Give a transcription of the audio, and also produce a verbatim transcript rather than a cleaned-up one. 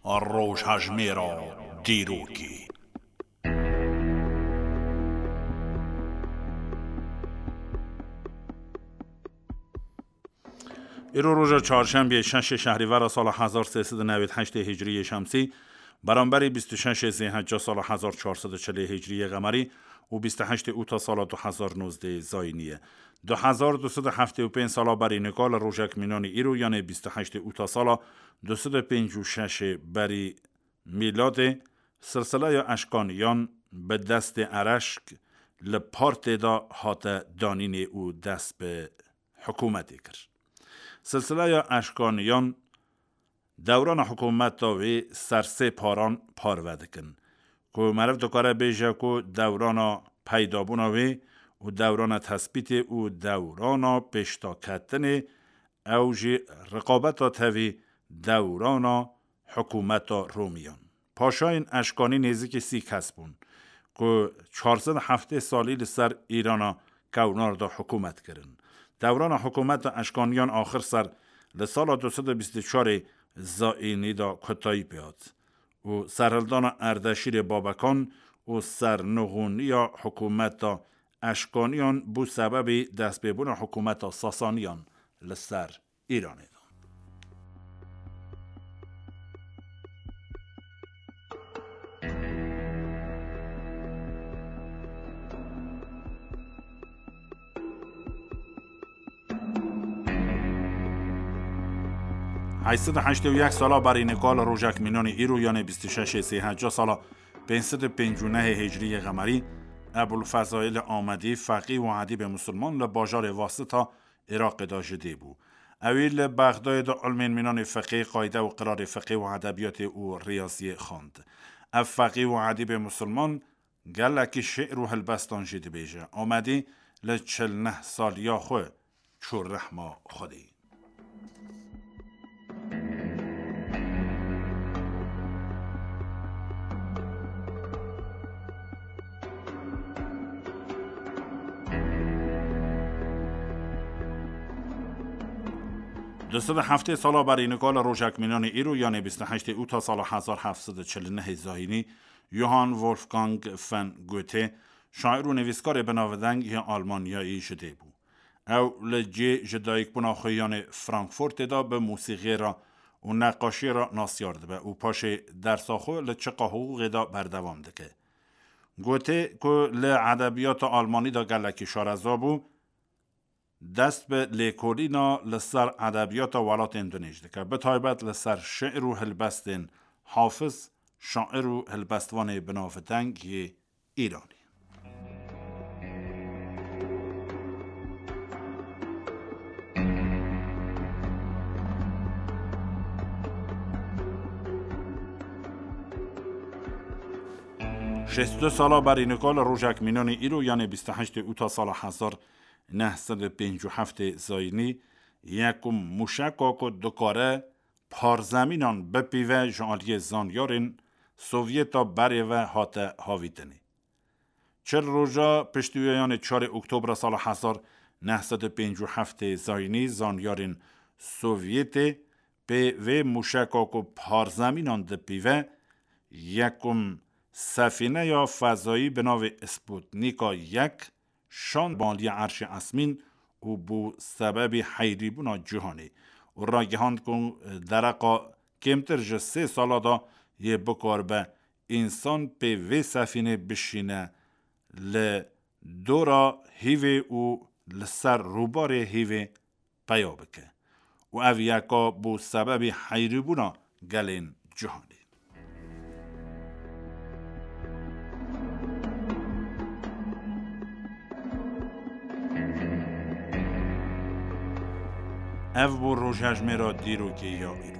Rojhejmêra dîrokê. Îro roja çarşembiyê şeşê şehrîvera sala hezar sê sed û newêd heştê hicriyê şemsî, beramberî bîst û şeşê zêhecca sala hezar çar sed û çilê hicriyê qemerî û bîst û heştê ûta sala du hezar nozdeh zayînî ye. Du hezar du sed û heftê û pênc sala berî nika li rojek mînanî îro, yanê bîst û heştê ûta sala du sed û pêncî û şeşê berî mîladê, silsileya eşkaniyan bi destê Ereşk li partê de hate danînê û dest bi hikûmetê kir. Silsileya eşkaniyan dewrana hikûmeta wê ser sê paran parve dikin, ku meriv dikare bêje ku dewrana peydabûna wê û dewrana tespîtê û dewrana pêşdaketinê, ew jî riqabeta tevî dewrana hikûmeta Romiyan. Paşayên eşkanî nêzîkî sî kes bûn, ku çar sed û heftê salî li ser Îrana kewnar de hikûmet kirin. Dewrana hikûmeta eşkaniyan axir ser li sala du sed û bîst û çarê zayînî de kotayî pê hat û serhildana Erdeşîrê Babekan û sernixûniya hikûmeta eşkaniyan bû sebebê destpêbûna hikûmeta Sasaniyan li ser Îranê de. Heyt sed û heştê û yek sala berî nika li rojek mînanî îro, yanê bîst û şeşê zêhecca sala pênc sed û pêncî û nehê hicriyê qemerî, Ebul Fezayil Amedî, feqî û edîbê musulman, li bajarê Wasita Iraqê de ji dê bû. Ewî li Bexdayê de ilmên mînanê fiqê, qayde û qirarê fiqê û edebiyatê û riyaziyê xwend. Ev feqî û edîbê musulman gelekî şi'r û hilbestan jî dibêje. Amedî li çil neh saliya xwe çû rehma Xwedê. Du sed û heftê sala berî nika li rojek mînanê îro, yanê bîst û heştê ûta sala hezar heft sed û çil û nehê zayînî, Johann Wolfgang von Goethe, şair û nivîskarê binavdeng yê Almanyayî ji dê bû. Ew li cihê ji dayikbûna xwe yanê Frankfurtê de bi mûsîqiyê re û neqaşiyê re nasyar dibe û paşê dersa xwe li çiqa hiqûqê de berdewam dike. Goethe ku li edebiyata almanî de gelekî şareza bû, dest bi lêkolîna li ser edebiyata welatên dinêj dike, bi taybet li ser şi'r û hilbestên Hafiz, şair û hilbestvanê binavdeng yê Îranê. Şêst û du sala berî nika li rojek mînanê îro, yanê bîst û heştê ûta sala hezar neh sed û pêncî û heftê zayînî, yekum mûşeka ku dikare parzemînan bipîve ji aliyê zanyarên Sovyeta berê ve hate havîtinê. Çil roja piştî wê, yanê çarê Oktobra sala hezar neh sed û pêncî û heftê zayînî, zanyarên Sovyetê pê vê mûşeka ku parzemînan dipîve, yekum sefîneya fezayî bi navê Sputnika yek şand baliya erşê esmîn û bû sebebî heyrîbûna cîhanê û ragihand ku dereqa kêmtir ji sê sala de yê bikaribe însan pê vê sefînê bişîne li dora hîvê û li ser rûbarê hîvê peya bike û ev yeka bû sebebî heyrîbûna gelên cîhanê. Ev bû rojhejmêra dîrokê ya îro.